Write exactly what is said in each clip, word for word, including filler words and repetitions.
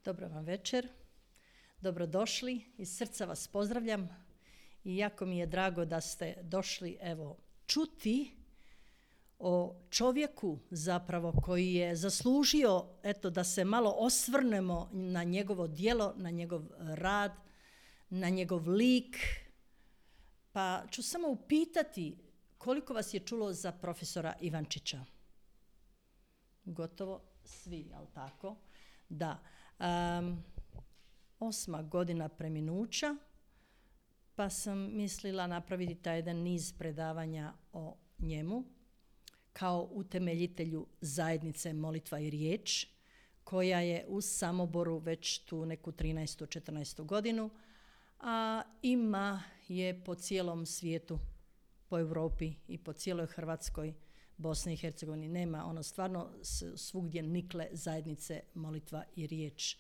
Dobro vam večer, dobrodošli, iz srca vas pozdravljam i jako mi je drago da ste došli evo čuti o čovjeku zapravo koji je zaslužio eto da se malo osvrnemo na njegovo djelo, na njegov rad, na njegov lik. Pa ću samo upitati koliko vas je čulo za profesora Ivančića? Gotovo svi, jel tako? Da. Um, osma godina preminuća, pa sam mislila napraviti taj jedan niz predavanja o njemu kao utemeljitelju zajednice Molitva i riječ, koja je u Samoboru već tu neku trinaestu četrnaestu godinu, a ima je po cijelom svijetu, po Europi i po cijeloj Hrvatskoj, Bosni i Hercegovini. Nema ono stvarno svugdje nikle zajednice Molitva i riječ.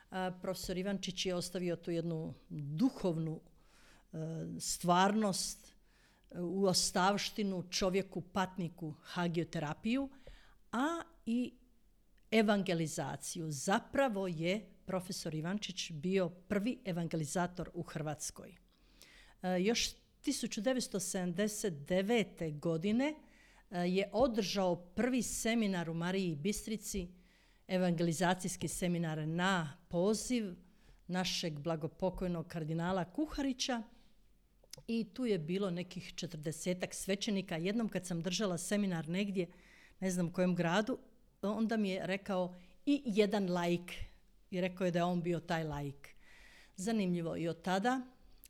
A, profesor Ivančić je ostavio tu jednu duhovnu e, stvarnost, e, u ostavštinu čovjeku, patniku, hagioterapiju, a i evangelizaciju. Zapravo je profesor Ivančić bio prvi evangelizator u Hrvatskoj. E, još tisuću devetsto sedamdeset devete. godine je održao prvi seminar u Mariji Bistrici, evangelizacijski seminar na poziv našeg blagopokojnog kardinala Kuharića, i tu je bilo nekih četrdesetak svećenika. Jednom kad sam držala seminar negdje, ne znam u kojem gradu, onda mi je rekao i jedan laik, i rekao je da je on bio taj laik. Zanimljivo, i od tada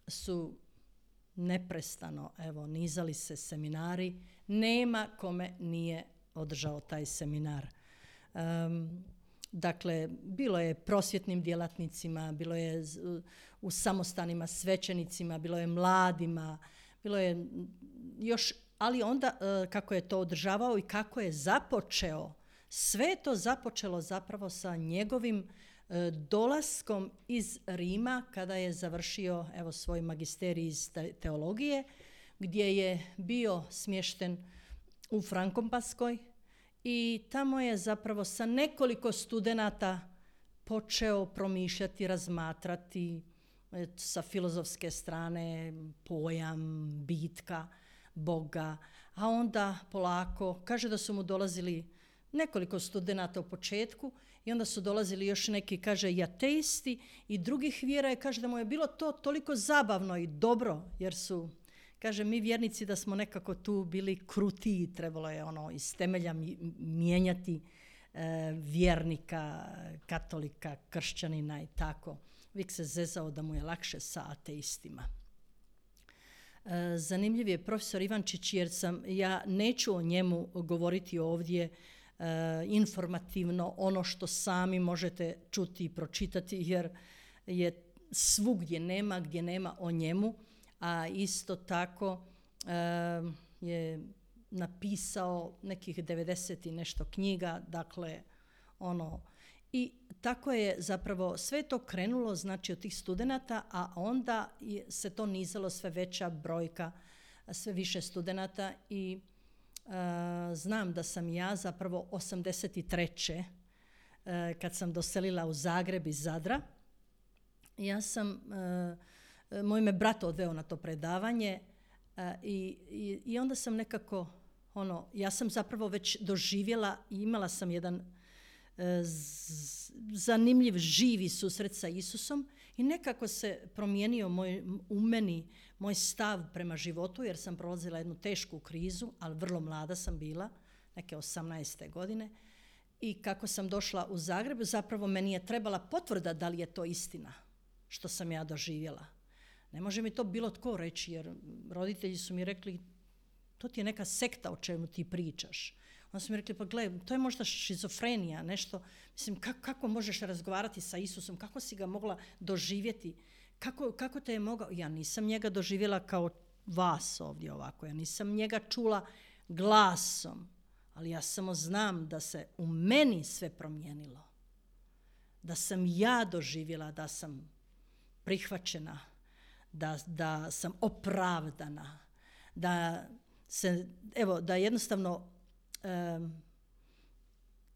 su neprestano evo nizali se seminari, nema kome nije održao taj seminar. Um, dakle, bilo je prosvjetnim djelatnicima, bilo je u samostanima svećenicima, bilo je mladima, bilo je još, ali onda kako je to održavao i kako je započeo, sve je to započelo zapravo sa njegovim dolaskom iz Rima kada je završio evo svoj magisterij iz teologije, gdje je bio smješten u Frankopanskoj i tamo je zapravo sa nekoliko studenata počeo promišljati, razmatrati sa filozofske strane pojam bitka Boga, a onda polako, kaže da su mu dolazili nekoliko studenata u početku i onda su dolazili još neki, kaže, i ateisti i drugih vjera, i kaže da mu je bilo to toliko zabavno i dobro, jer su, kaže, mi vjernici da smo nekako tu bili krutiji, trebalo je ono iz temelja mijenjati e, vjernika, katolika, kršćanina i tako. Uvijek se zezao da mu je lakše sa ateistima. E, zanimljiv je profesor Ivančić, jer sam, ja neću o njemu govoriti ovdje Uh, informativno, ono što sami možete čuti i pročitati, jer je svugdje nema gdje nema o njemu, a isto tako uh, je napisao nekih devedeset i nešto knjiga, dakle ono, i tako je zapravo sve to krenulo, znači od tih studenata, a onda je, se to nizalo, sve veća brojka, sve više studenata. I Uh, znam da sam ja zapravo osamdeset treće. Uh, kad sam doselila u Zagreb iz Zadra, ja sam, uh, moj me brat odveo na to predavanje uh, i, i, i onda sam nekako, ono, ja sam zapravo već doživjela i imala sam jedan uh, z, zanimljiv, živi susret sa Isusom i nekako se promijenio moj, u meni moj stav prema životu, jer sam prolazila jednu tešku krizu, ali vrlo mlada sam bila, neke osamnaeste godine, i kako sam došla u Zagreb, zapravo meni je trebala potvrda da li je to istina što sam ja doživjela. Ne može mi to bilo tko reći, jer roditelji su mi rekli, to ti je neka sekta o čemu ti pričaš. Onda su mi rekli, pa gle, to je možda šizofrenija, nešto, mislim, kako, kako možeš razgovarati sa Isusom, kako si ga mogla doživjeti, kako, kako te je mogao, ja nisam njega doživjela kao vas ovdje ovako, ja nisam njega čula glasom, ali ja samo znam da se u meni sve promijenilo, da sam ja doživjela, da sam prihvaćena, da, da sam opravdana, da se, evo, da jednostavno um,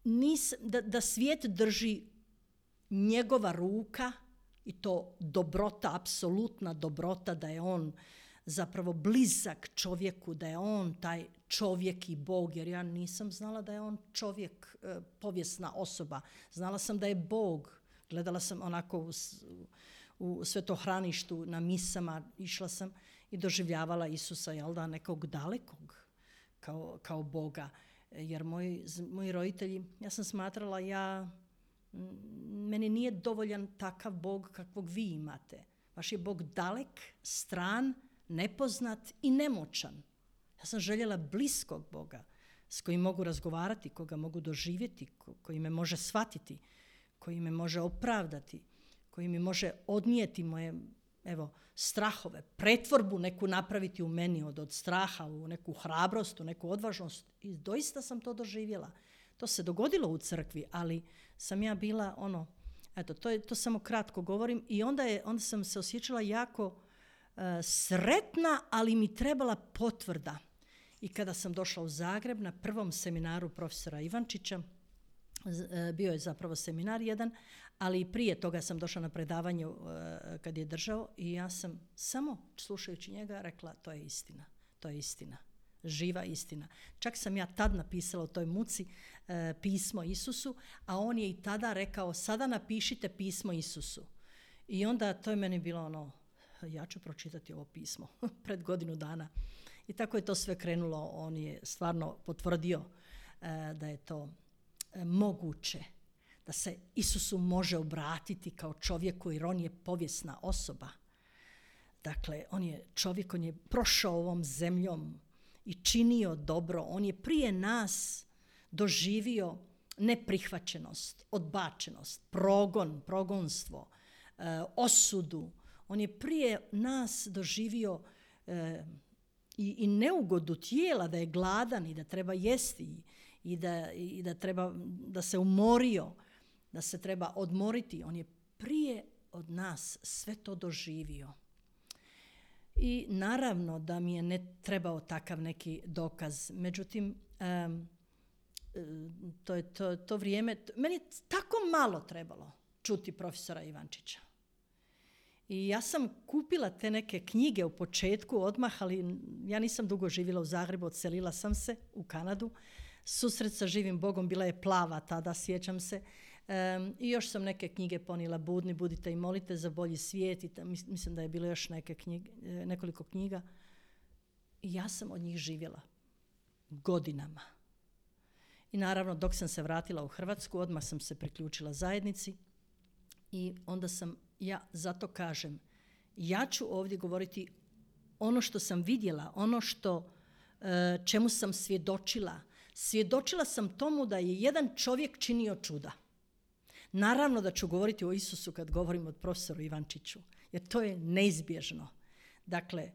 nis, da, da svijet drži njegova ruka i to dobrota, apsolutna dobrota, da je on zapravo blizak čovjeku, da je on taj čovjek i Bog, jer ja nisam znala da je on čovjek, povijesna osoba. Znala sam da je Bog. Gledala sam onako u, u svetohraništu na misama, išla sam i doživljavala Isusa, jel da, nekog dalekog kao, kao Boga. Jer moji, moji roditelji, ja sam smatrala, ja, meni nije dovoljan takav Bog kakvog vi imate. Vaš je Bog dalek, stran, nepoznat i nemoćan. Ja sam željela bliskog Boga s kojim mogu razgovarati, koga mogu doživjeti, ko, koji me može shvatiti, koji me može opravdati, koji mi može odnijeti moje, evo, strahove, pretvorbu neku napraviti u meni od, od straha u neku hrabrost, u neku odvažnost. I doista sam to doživjela. To se dogodilo u crkvi, ali sam ja bila ono, eto, to, je, to samo kratko govorim i onda, je, onda sam se osjećala jako uh, sretna, ali mi trebala potvrda. I kada sam došla u Zagreb na prvom seminaru profesora Ivančića, bio je zapravo seminar jedan, ali i prije toga sam došla na predavanje uh, kad je držao i ja sam samo slušajući njega rekla to je istina, to je istina, živa istina. Čak sam ja tad napisala u toj muci uh, pismo Isusu, a on je i tada rekao sada napišite pismo Isusu. I onda to je meni bilo ono, ja ću pročitati ovo pismo pred godinu dana. I tako je to sve krenulo, on je stvarno potvrdio uh, da je to moguće, da se Isusu može obratiti kao čovjeku jer on je povijesna osoba. Dakle, on je čovjek, on je prošao ovom zemljom i činio dobro. On je prije nas doživio neprihvaćenost, odbačenost, progon, progonstvo, e, osudu. On je prije nas doživio e, i, i neugodu tijela, da je gladan i da treba jesti i da, i da treba da se umorio, da se treba odmoriti. On je prije od nas sve to doživio. I naravno da mi je ne trebao takav neki dokaz. Međutim, um, to je to, to vrijeme, meni je tako malo trebalo čuti profesora Ivančića. I ja sam kupila te neke knjige u početku odmah, ali ja nisam dugo živjela u Zagrebu, odselila sam se u Kanadu. Susret sa živim Bogom bila je plava tada, sjećam se. Um, I još sam neke knjige ponijela, Budni, budite i molite za bolji svijet. I ta, mislim da je bilo još neke knjige, nekoliko knjiga. I ja sam od njih živjela godinama. I naravno, dok sam se vratila u Hrvatsku, odmah sam se priključila zajednici. I onda sam, ja zato kažem, ja ću ovdje govoriti ono što sam vidjela, ono što, čemu sam svjedočila. Svjedočila sam tomu da je jedan čovjek činio čuda. Naravno da ću govoriti o Isusu kad govorim o profesoru Ivančiću, jer to je neizbježno. Dakle,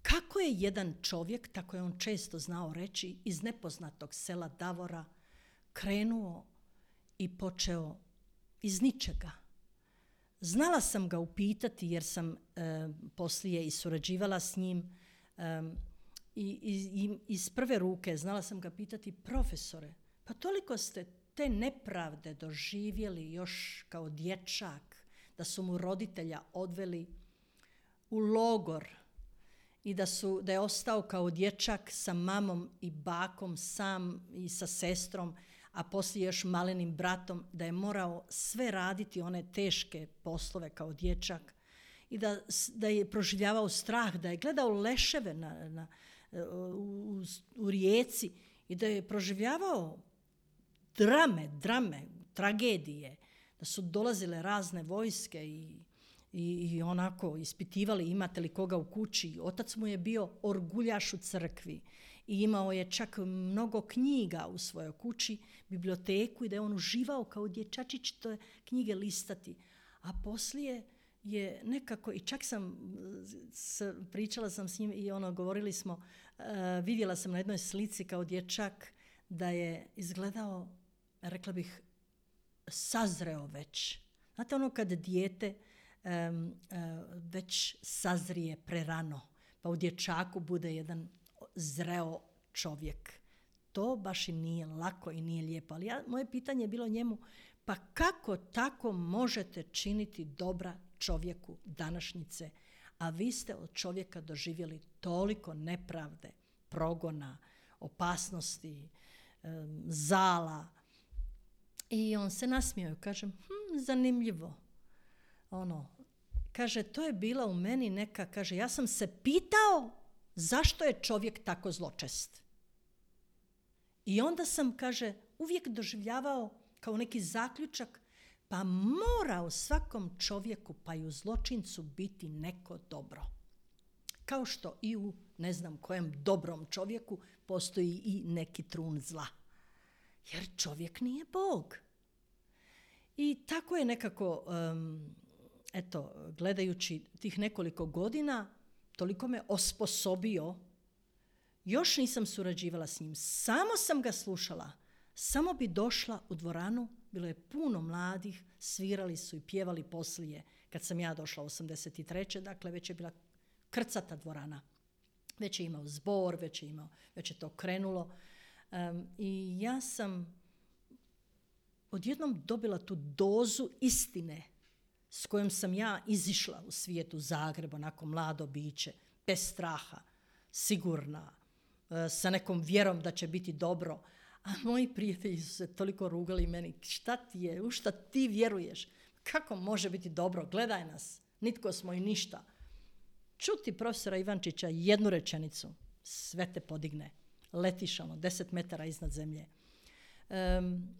kako je jedan čovjek, tako je on često znao reći, iz nepoznatog sela Davora krenuo i počeo iz ničega. Znala sam ga upitati jer sam e, poslije i surađivala s njim e, i, i iz prve ruke znala sam ga pitati, profesore, pa toliko ste te nepravde doživjeli još kao dječak, da su mu roditelja odveli u logor i da, su, da je ostao kao dječak sa mamom i bakom sam i sa sestrom, a poslije još malenim bratom, da je morao sve raditi one teške poslove kao dječak i da, da je proživljavao strah, da je gledao leševe na, na, u, u rijeci i da je proživljavao drame, drame, tragedije, da su dolazile razne vojske i, i, i onako ispitivali imate li koga u kući. Otac mu je bio orguljaš u crkvi i imao je čak mnogo knjiga u svojoj kući, biblioteku, i da je on uživao kao dječačić te knjige listati. A poslije je nekako, i čak sam s, pričala sam s njim i ono, govorili smo, uh, vidjela sam na jednoj slici kao dječak da je izgledao, rekla bih, sazreo već. Znate ono kad dijete um, uh, već sazrije prerano, pa u dječaku bude jedan zreo čovjek. To baš i nije lako i nije lijepo. Ali ja, moje pitanje je bilo njemu, Pa kako tako možete činiti dobra čovjeku današnjice, a vi ste od čovjeka doživjeli toliko nepravde, progona, opasnosti, zala. I on se nasmijao i kaže, hm, zanimljivo. Ono, kaže, to je bila u meni neka, kaže, ja sam se pitao zašto je čovjek tako zločest. I onda sam, kaže, uvijek doživljavao kao neki zaključak, pa mora u svakom čovjeku, pa i u zločincu biti neko dobro. Kao što i u ne znam kojem dobrom čovjeku postoji i neki trun zla. Jer čovjek nije Bog. I tako je nekako, um, eto, gledajući tih nekoliko godina, toliko me osposobio. Još nisam surađivala s njim, samo sam ga slušala. Samo bi došla u dvoranu, bilo je puno mladih, svirali su i pjevali poslije. Kad sam ja došla osamdeset treće dakle već je bila krcata dvorana. Već je imao zbor, već je, imao, već je to krenulo. Um, I ja sam odjednom dobila tu dozu istine s kojom sam ja izišla u svijetu Zagreba, onako mlado biće, bez straha, sigurna, sa nekom vjerom da će biti dobro. A moji prijatelji su se toliko rugali meni, šta ti je, u šta ti vjeruješ? Kako može biti dobro? Gledaj nas, nitko smo i ništa. Čuti profesora Ivančića jednu rečenicu, sve te podigne. Letiš ono, deset metara iznad zemlje. Um,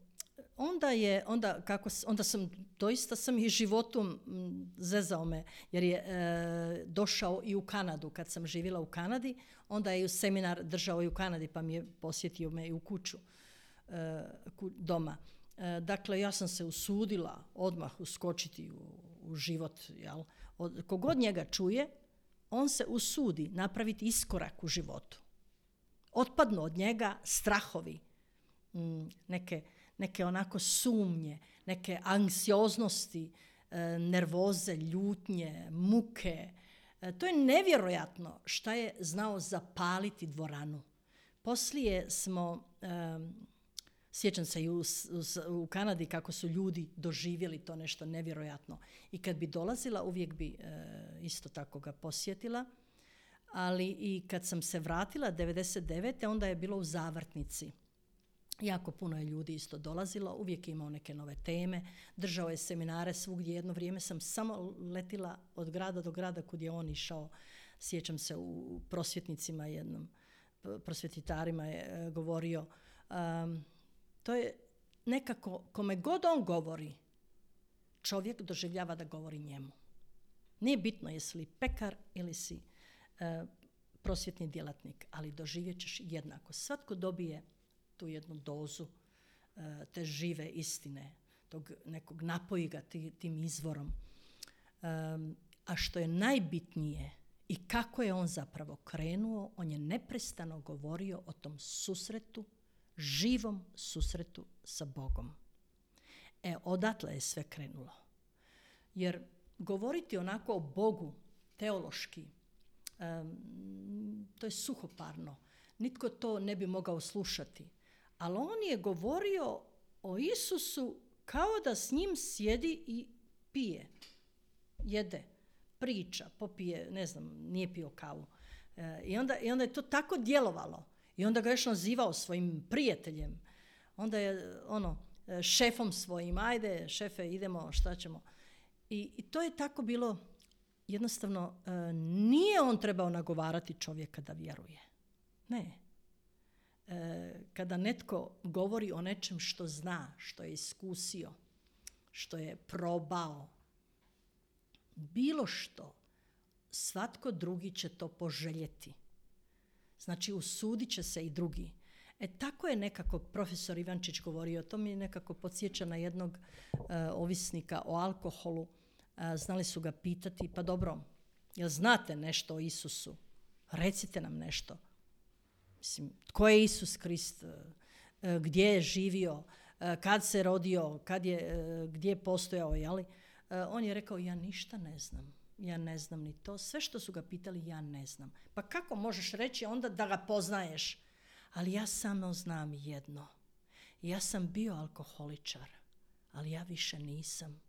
onda je, onda, kako, onda sam, doista sam i životom zezao me, jer je e, došao i u Kanadu, kad sam živjela u Kanadi, onda je seminar držao i u Kanadi, pa mi je posjetio me i u kuću, e, ku, doma. E, dakle, ja sam se usudila odmah uskočiti u, u život, jel? Od, kogod njega čuje, on se usudi napraviti iskorak u životu. Otpadnu od njega strahovi, m, neke neke onako sumnje, neke anksioznosti, e, nervoze, ljutnje, muke. E, to je nevjerojatno šta je znao zapaliti dvoranu. Poslije smo, e, sjećam se i u, u, u Kanadi kako su ljudi doživjeli to nešto nevjerojatno. I kad bi dolazila, uvijek bi e, isto tako ga posjetila. Ali i kad sam se vratila devedeset devete onda je bilo u Zavrtnici. Jako puno je ljudi isto dolazilo, uvijek je imao neke nove teme, držao je seminare svugdje. Jedno vrijeme sam samo letila od grada do grada kud je on išao. Sjećam se u prosvjetnicima jednom, prosvjetitarima je govorio. Um, to je nekako, kome god on govori, čovjek doživljava da govori njemu. Nije bitno jesi li pekar ili si uh, prosvjetni djelatnik, ali doživjet ćeš jednako. Svatko dobije tu jednu dozu uh, te žive istine, tog nekog napoji ga ti, tim izvorom. Um, a što je najbitnije i kako je on zapravo krenuo, on je neprestano govorio o tom susretu, živom susretu sa Bogom. E, odatle je sve krenulo. Jer govoriti onako o Bogu, teološki, um, to je suhoparno. Nitko to ne bi mogao slušati. Ali on je govorio o Isusu kao da s njim sjedi i pije, jede, priča, popije, ne znam, nije pio kavu. E, i, onda, I onda je to tako djelovalo. I onda ga još nazivao svojim prijateljem. Onda je ono, šefom svojim, ajde šefe, idemo, šta ćemo. I, i to je tako bilo, jednostavno, e, nije on trebao nagovarati čovjeka da vjeruje. Ne. E, kada netko govori o nečem što zna, što je iskusio, što je probao, bilo što, svatko drugi će to poželjeti. Znači, usudit će se i drugi. E, tako je nekako profesor Ivančić govorio, to mi nekako podsjeća na jednog uh, ovisnika o alkoholu. Uh, znali su ga pitati, pa dobro, jel znate nešto o Isusu? Recite nam nešto. Mislim, tko je Isus Krist? Uh, gdje je živio? Uh, kad se rodio? Kad je, uh, gdje je postojao? Jeli? Uh, on je rekao, ja ništa ne znam. Ja ne znam ni to. Sve što su ga pitali, ja ne znam. Pa kako možeš reći onda da ga poznaješ? Ali ja samo znam jedno. Ja sam bio alkoholičar, ali ja više nisam,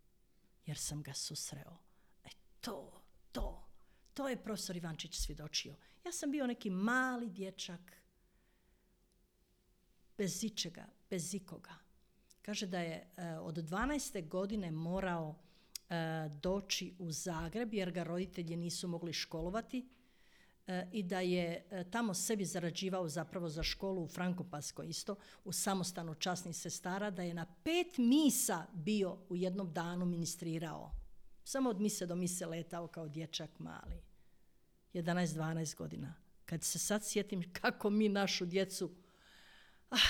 jer sam ga susreo. E to, to, to je profesor Ivančić svjedočio. Ja sam bio neki mali dječak, bez ičega, bez ikoga. Kaže da je uh, od dvanaeste godine morao uh, doći u Zagreb, jer ga roditelji nisu mogli školovati, uh, i da je uh, tamo sebi zarađivao zapravo za školu u Frankopanskoj isto, u samostanu časnih sestara, da je na pet misa bio u jednom danu ministrirao. Samo od mise do mise letao kao dječak mali. jedanaest dvanaest godina. Kad se sad sjetim kako mi našu djecu ah,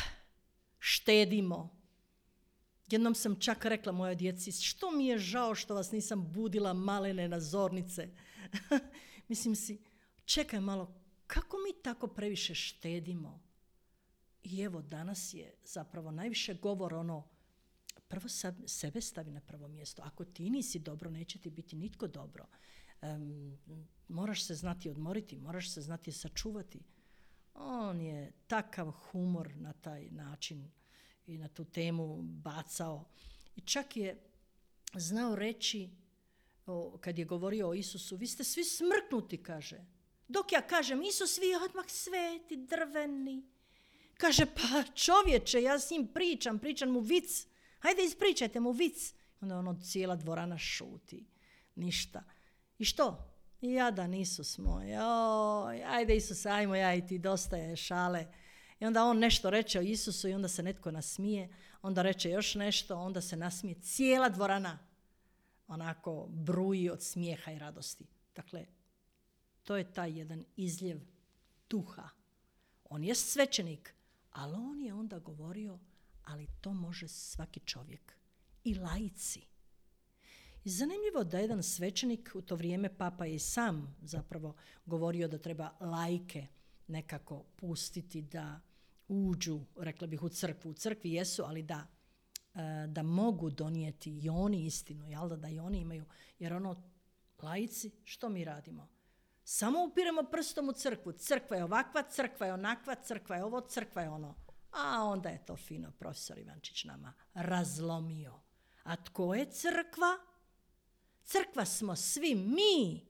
štedimo. Jednom sam čak rekla mojoj djeci, što mi je žao što vas nisam budila malene na zornice. Mislim si, čekaj malo, kako mi tako previše štedimo? I evo, danas je zapravo najviše govor ono, prvo sebe stavi na prvo mjesto. Ako ti nisi dobro, neće ti biti nitko dobro. Um, moraš se znati odmoriti, moraš se znati sačuvati. On je takav humor na taj način i na tu temu bacao. I čak je znao reći, o, kad je govorio o Isusu, vi ste svi smrknuti, kaže. Dok ja kažem, Isus, vi odmah sveti, drveni. Kaže, pa čovječe, ja s njim pričam, pričam mu vic. Hajde, ispričajte mu vic. Onda ono, cijela dvorana šuti. Ništa. I što? Jadan Isus moj. Oj, ajde Isus, ajmo ja i ti, dosta je šale. I onda on nešto reče o Isusu i onda se netko nasmije. Onda reče još nešto, onda se nasmije. Cijela dvorana onako bruji od smijeha i radosti. Dakle, to je taj jedan izljev duha. On je svećenik, ali on je onda govorio, ali to može svaki čovjek. I laici. I zanimljivo da jedan svećenik, u to vrijeme papa je i sam zapravo govorio da treba laike nekako pustiti da uđu, rekla bih, u crkvu. U crkvi jesu, ali da, da mogu donijeti i oni istinu, jel da, da i oni imaju. Jer ono, laici, što mi radimo? Samo upiremo prstom u crkvu. Crkva je ovakva, crkva je onakva, crkva je ovo, crkva je ono. A onda je to fino profesor Ivančić nama razlomio. A tko je crkva? Crkva smo svi mi.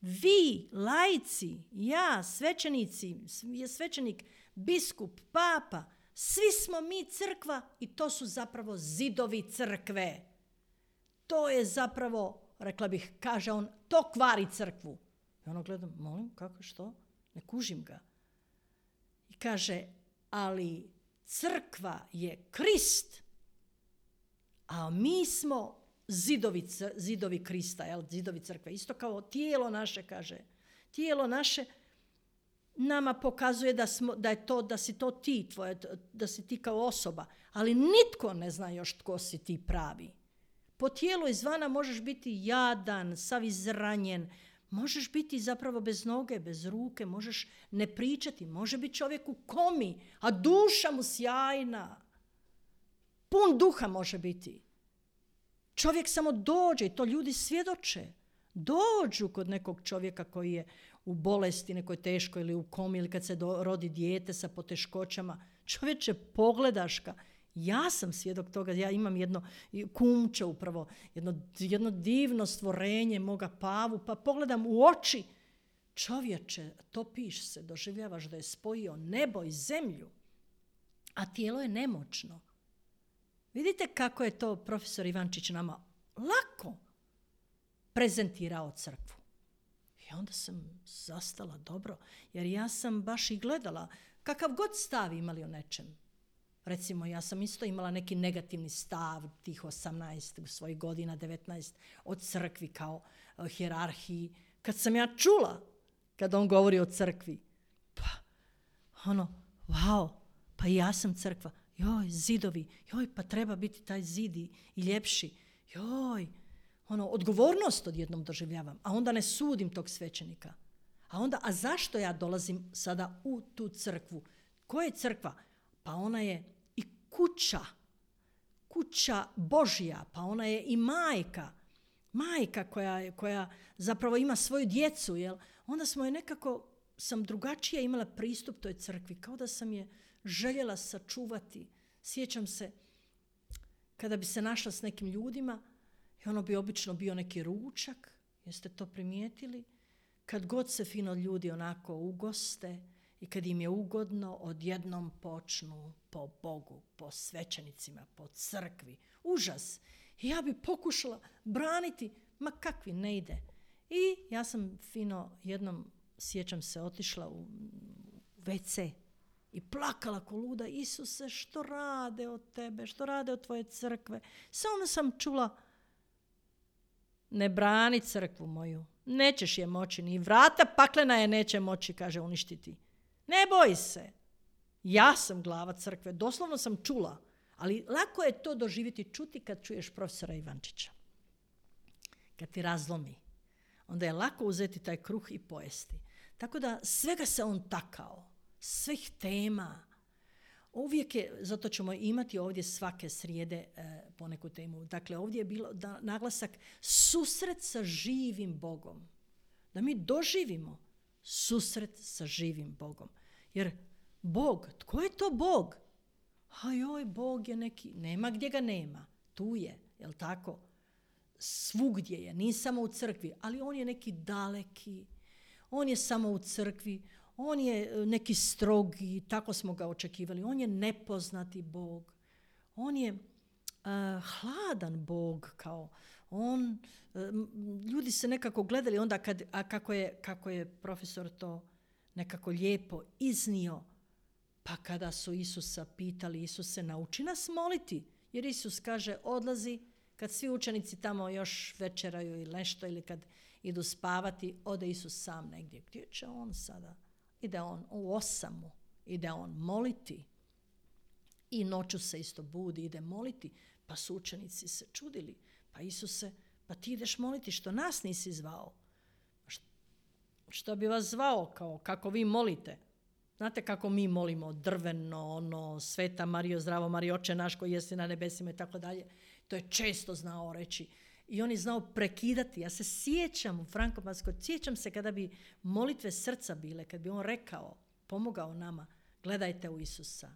Vi, laici, ja, svećenici, je svećenik, biskup, papa, svi smo mi crkva i to su zapravo zidovi crkve. To je zapravo, rekla bih, kaže on, to kvari crkvu. I ono gledam, molim, kako, što? Ne kužim ga. I kaže, ali crkva je Krist, a mi smo zidovi, zidovi Krista, jel? Zidovi crkve. Isto kao tijelo naše, kaže. Tijelo naše nama pokazuje da, smo, da je to, da si to ti, tvoje, da si ti kao osoba, ali nitko ne zna još tko si ti pravi. Po tijelu izvana možeš biti jadan, sav izranjen, možeš biti zapravo bez noge, bez ruke, možeš ne pričati, može biti čovjek u komi, a duša mu sjajna. Pun duha može biti. Čovjek samo dođe i to ljudi svjedoče. Dođu kod nekog čovjeka koji je u bolesti nekoj teškoj ili u komi ili kad se do, rodi dijete sa poteškoćama. Čovječe, pogledaš ga. Ja sam svjedok toga, ja imam jedno kumče upravo, jedno, jedno divno stvorenje moga Pavu, pa pogledam u oči. Čovječe, topiš se, doživljavaš da je spojio nebo i zemlju, a tijelo je nemoćno. Vidite kako je to profesor Ivančić nama lako prezentirao crkvu. I onda sam zastala dobro, jer ja sam baš i gledala kakav god stav imali o nečem. Recimo, ja sam isto imala neki negativni stav tih osamnaest svojih godina, devetnaest, od crkvi kao uh, hijerarhiji. Kad sam ja čula, kad on govori o crkvi, pa ono, wow, pa ja sam crkva. Joj, zidovi, joj, pa treba biti taj zidi i ljepši. Joj, ono, odgovornost odjednom doživljavam, a onda ne sudim tog svećenika. A onda, a zašto ja dolazim sada u tu crkvu? Koja je crkva? Pa ona je i kuća, kuća Božja, pa ona je i majka, majka koja, koja zapravo ima svoju djecu, jel? Onda smo je nekako, sam drugačije imala pristup toj crkvi, kao da sam je željela sačuvati. Sjećam se, kada bi se našla s nekim ljudima, i ono bi obično bio neki ručak, jeste to primijetili? Kad god se fino ljudi onako ugoste i kad im je ugodno, odjednom počnu po Bogu, po svećenicima, po crkvi. Užas. I ja bi pokušala braniti, ma kakvi, ne ide. I ja sam fino jednom, sjećam se, otišla u ve ce i plakala ko luda. Isuse, što rade od tebe, što rade od tvoje crkve? Samo sam čula, ne brani crkvu moju, nećeš je moći, ni vrata paklena je neće moći, kaže, uništiti. Ne boj se, ja sam glava crkve, doslovno sam čula, ali lako je to doživjeti, čuti kad čuješ profesora Ivančića. Kad ti razlomi, onda je lako uzeti taj kruh i pojesti. Tako da svega se on takao, svih tema. Uvijek je, zato ćemo imati ovdje svake srijede e, poneku temu. Dakle, ovdje je bilo da, naglasak susret sa živim Bogom. Da mi doživimo susret sa živim Bogom. Jer Bog, tko je to Bog? A joj, Bog je neki, nema gdje ga nema. Tu je, jel tako? Svugdje je, nije samo u crkvi, ali on je neki daleki. On je samo u crkvi. On je neki strogi, tako smo ga očekivali. On je nepoznati Bog. On je uh, hladan Bog. Kao on, uh, ljudi se nekako gledali onda kad, a kako je, kako je profesor to nekako lijepo iznio. Pa kada su Isusa pitali, Isuse, nauči nas moliti. Jer Isus kaže, odlazi, kad svi učenici tamo još večeraju ili nešto, ili kad idu spavati, ode Isus sam negdje. Gdje će on sada? Ide on u osamu, ide on moliti. I noću se isto budi, ide moliti. Pa su učenici se čudili. Pa Isuse, pa ti ideš moliti, što nas nisi zvao? Što bi vas zvao, kao kako vi molite? Znate kako mi molimo, drveno, ono, Sveta Marijo, zdravo Marijo, Oče naš koji jesi na nebesima i tako dalje. To je često znao reći. I on je znao prekidati. Ja se sjećam u Frankopanskoj, sjećam se kada bi molitve srca bile, kad bi on rekao, pomogao nama, gledajte u Isusa.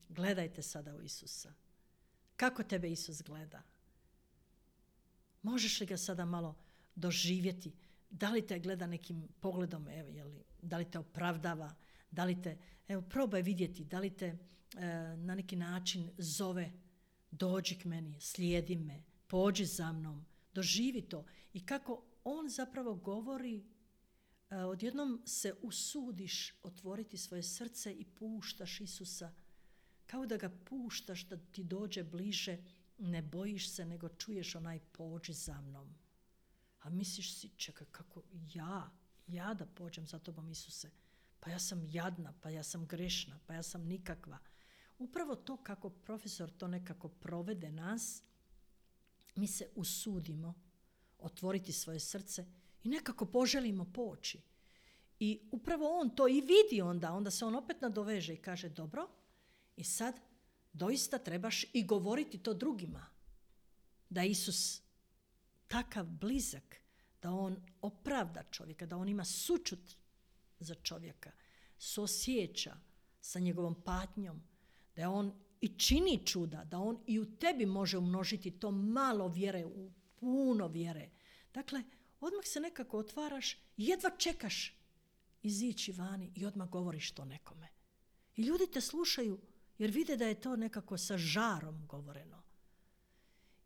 Gledajte sada u Isusa. Kako tebe Isus gleda? Možeš li ga sada malo doživjeti? Da li te gleda nekim pogledom, evo, jeli, da li te opravdava, da li te, evo, probaj vidjeti, da li te e, na neki način zove, dođi k meni, slijedi me, pođi za mnom, doživi to. I kako on zapravo govori, e, odjednom se usudiš otvoriti svoje srce i puštaš Isusa, kao da ga puštaš da ti dođe bliže, ne bojiš se, nego čuješ onaj pođi za mnom. A misliš si, čekaj, kako ja, ja da pođem za tobom, Isuse? Pa ja sam jadna, pa ja sam grešna, pa ja sam nikakva. Upravo to kako profesor to nekako provede nas, mi se usudimo otvoriti svoje srce i nekako poželimo poći. I upravo on to i vidi onda, onda se on opet nadoveže i kaže, dobro, i sad doista trebaš i govoriti to drugima. Da Isus takav blizak, da on opravda čovjeka, da on ima sućut za čovjeka, suosjeća sa njegovom patnjom, da on i čini čuda, da on i u tebi može umnožiti to malo vjere u puno vjere. Dakle, odmah se nekako otvaraš, jedva čekaš izići vani i odmah govoriš to nekome. I ljudi te slušaju jer vide da je to nekako sa žarom govoreno.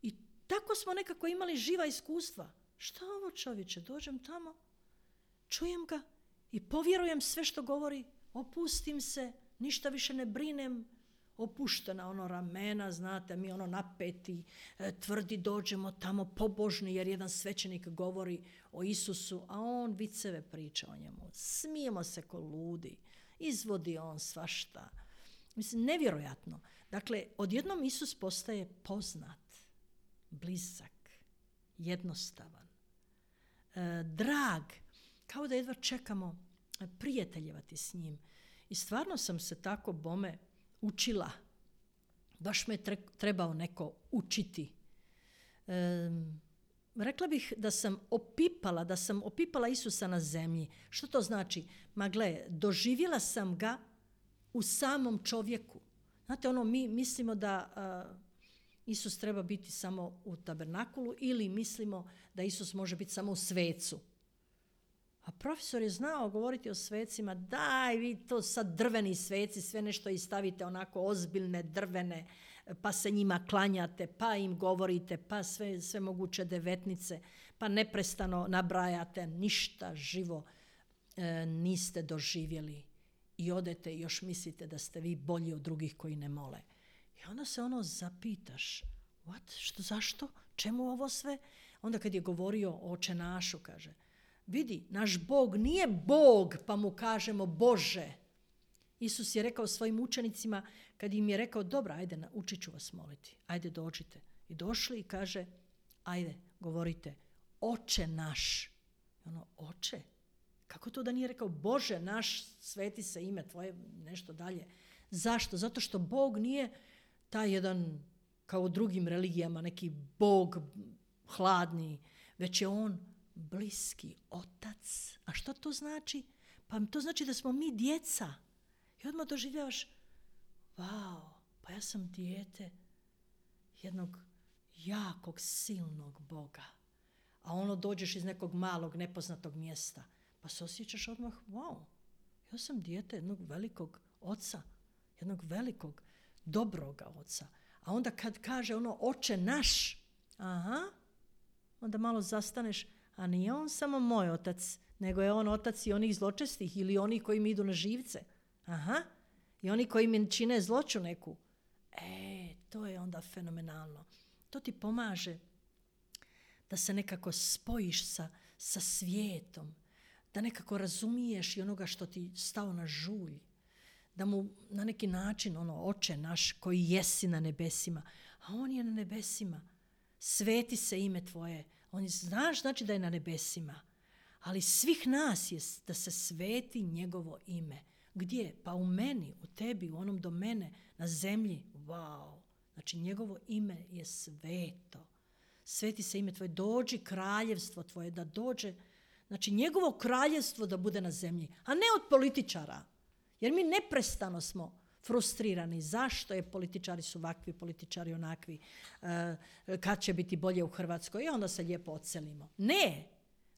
I tako smo nekako imali živa iskustva. Šta ovo, čovječe, dođem tamo, čujem ga i povjerujem sve što govori, opustim se, ništa više ne brinem, opuštena ono ramena, znate, mi ono napeti, tvrdi, dođemo tamo pobožni jer jedan svećenik govori o Isusu, a on viceve priča o njemu. Smijemo se ko ludi, izvodi on svašta. Mislim, nevjerojatno. Dakle, odjednom Isus postaje poznat, blizak, jednostavan, e, drag, kao da jedva čekamo prijateljevati s njim. I stvarno sam se tako bome učila. Baš me tre, trebao neko učiti. E, rekla bih da sam opipala, da sam opipala Isusa na zemlji. Što to znači? Ma gle, doživjela sam ga u samom čovjeku. Znate, ono, mi mislimo da, Isus treba biti samo u tabernakulu ili mislimo da Isus može biti samo u svecu. A profesor je znao govoriti o svecima, daj vi to sad drveni sveci, sve nešto i stavite onako ozbiljne drvene, pa se njima klanjate, pa im govorite, pa sve, sve moguće devetnice, pa neprestano nabrajate, ništa živo e, niste doživjeli i odete i još mislite da ste vi bolji od drugih koji ne mole. I onda se ono zapitaš, what? Što, zašto? Čemu ovo sve? Onda kad je govorio o Oče našu, kaže, vidi, naš Bog nije Bog, pa mu kažemo Bože. Isus je rekao svojim učenicima, kad im je rekao, dobro, ajde, učit ću vas moliti, ajde dođite. I došli i kaže, ajde, govorite, Oče naš. I ono, Oče? Kako to da nije rekao, Bože naš, sveti se ime tvoje, nešto dalje. Zašto? Zato što Bog nije taj jedan, kao u drugim religijama, neki Bog hladni, već je on bliski otac. A što to znači? Pa to znači da smo mi djeca. I odmah doživljavaš, wow, pa ja sam dijete jednog jakog, silnog Boga. A ono dođeš iz nekog malog, nepoznatog mjesta, pa se osjećaš odmah, wow, ja sam dijete jednog velikog oca, jednog velikog, dobroga oca. A onda kad kaže ono, Oče naš, aha, onda malo zastaneš, a nije on samo moj otac, nego je on otac i onih zločestih ili onih koji mi idu na živce. Aha, i oni koji mi čine zloću neku. E, to je onda fenomenalno. To ti pomaže da se nekako spojiš sa, sa svijetom, da nekako razumiješ i onoga što ti stao na žulj, da mu na neki način, ono, Oče naš koji jesi na nebesima, a on je na nebesima, sveti se ime tvoje, on je, znaš, znači da je na nebesima, ali svih nas je da se sveti njegovo ime. Gdje? Pa u meni, u tebi, u onom do mene, na zemlji. Wow! Znači njegovo ime je sveto. Sveti se ime tvoje, dođi kraljevstvo tvoje, da dođe, znači njegovo kraljevstvo da bude na zemlji, a ne od političara. Jer mi neprestano smo frustrirani. Zašto je političari su ovakvi, političari onakvi, uh, kad će biti bolje u Hrvatskoj i onda se lijepo odselimo. Ne!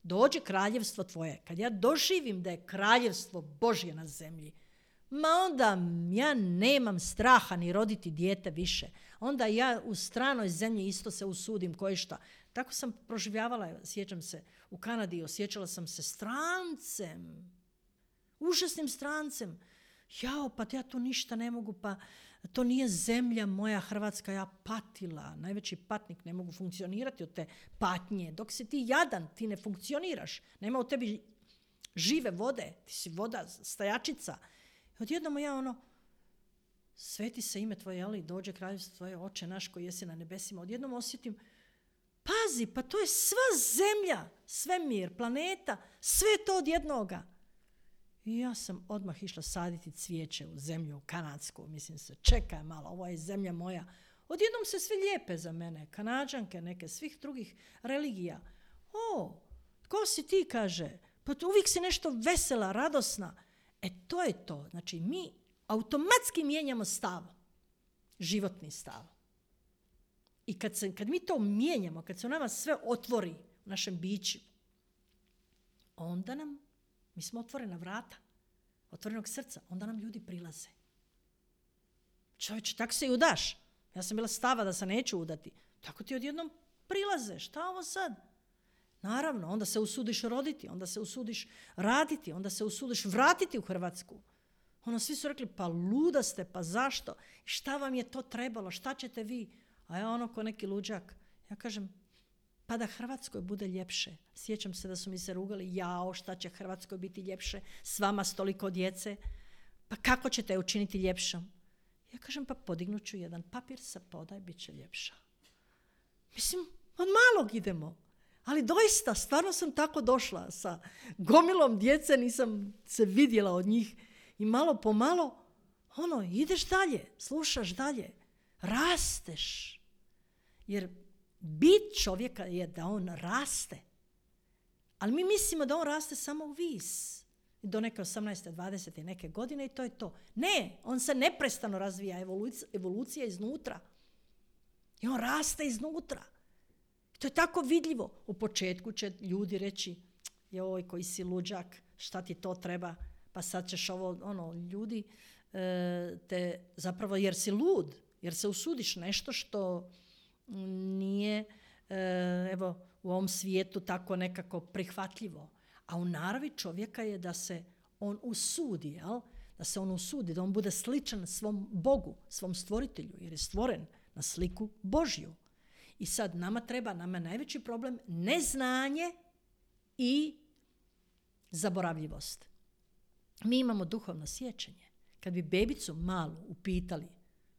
Dođe kraljevstvo tvoje. Kad ja doživim da je kraljevstvo Božje na zemlji, ma onda ja nemam straha ni roditi dijete više. Onda ja u stranoj zemlji isto se usudim koje šta. Tako sam proživljavala, sjećam se, u Kanadi osjećala sam se strancem. Užasnim strancem. Jao, pa ja tu ništa ne mogu, pa to nije zemlja moja Hrvatska, ja patila. Najveći patnik, ne mogu funkcionirati od te patnje. Dok si ti jadan, ti ne funkcioniraš. Nema u tebi žive vode, ti si voda, stajačica. I odjednom ja ono, sveti se ime tvoje, ali dođe kraljevstvo tvoje, Oče naš koji jesi na nebesima. Odjednom osjetim, pazi, pa to je sva zemlja, svemir, planeta, sve to od jednoga. I ja sam odmah išla saditi cvijeće u zemlju, u kanadsku. Mislim se, čekaj malo, ovo je zemlja moja. Odjednom se svi lijepe za mene, Kanađanke neke, svih drugih religija. O, ko si ti, kaže, pa uvijek si nešto vesela, radosna. E to je to. Znači mi automatski mijenjamo stav, životni stav. I kad, se, kad mi to mijenjamo, kad se u nama sve otvori u našem biću, onda nam mi smo otvorena vrata, otvorenog srca, onda nam ljudi prilaze. Čovječe, tako se i udaš. Ja sam bila stava da se neću udati. Tako ti odjednom prilaze. Šta ovo sad? Naravno, onda se usudiš roditi, onda se usudiš raditi, onda se usudiš vratiti u Hrvatsku. Ono, svi su rekli, pa luda ste, pa zašto? Šta vam je to trebalo? Šta ćete vi? A ja ono ko neki luđak. Ja kažem, pa da Hrvatskoj bude ljepše. Sjećam se da su mi se rugali, jao, šta će Hrvatskoj biti ljepše, s vama s toliko djece, pa kako ćete je učiniti ljepšom? Ja kažem, pa podignut ću jedan papir sa poda i bit će ljepša. Mislim, od malog idemo. Ali doista, stvarno sam tako došla sa gomilom djece, nisam se vidjela od njih i malo po malo, ono, ideš dalje, slušaš dalje, rasteš. Jer bit čovjeka je da on raste. Ali mi mislimo da on raste samo u vis. Do neke osamnaeste, dvadesete neke godine i to je to. Ne, on se neprestano razvija, evolucija, evolucija iznutra. I on raste iznutra. To je tako vidljivo. U početku će ljudi reći, joj, koji si luđak, šta ti to treba, pa sad ćeš ovo, ono, ljudi e, te, zapravo jer si lud, jer se usudiš nešto što nije, e, evo, u ovom svijetu tako nekako prihvatljivo. A u naravi čovjeka je da se on usudi, jel? Da se on usudi, da on bude sličan svom Bogu, svom stvoritelju, jer je stvoren na sliku Božju. I sad nama treba, nama je najveći problem neznanje i zaboravljivost. Mi imamo duhovno sjećanje. Kad bi bebicu malu upitali,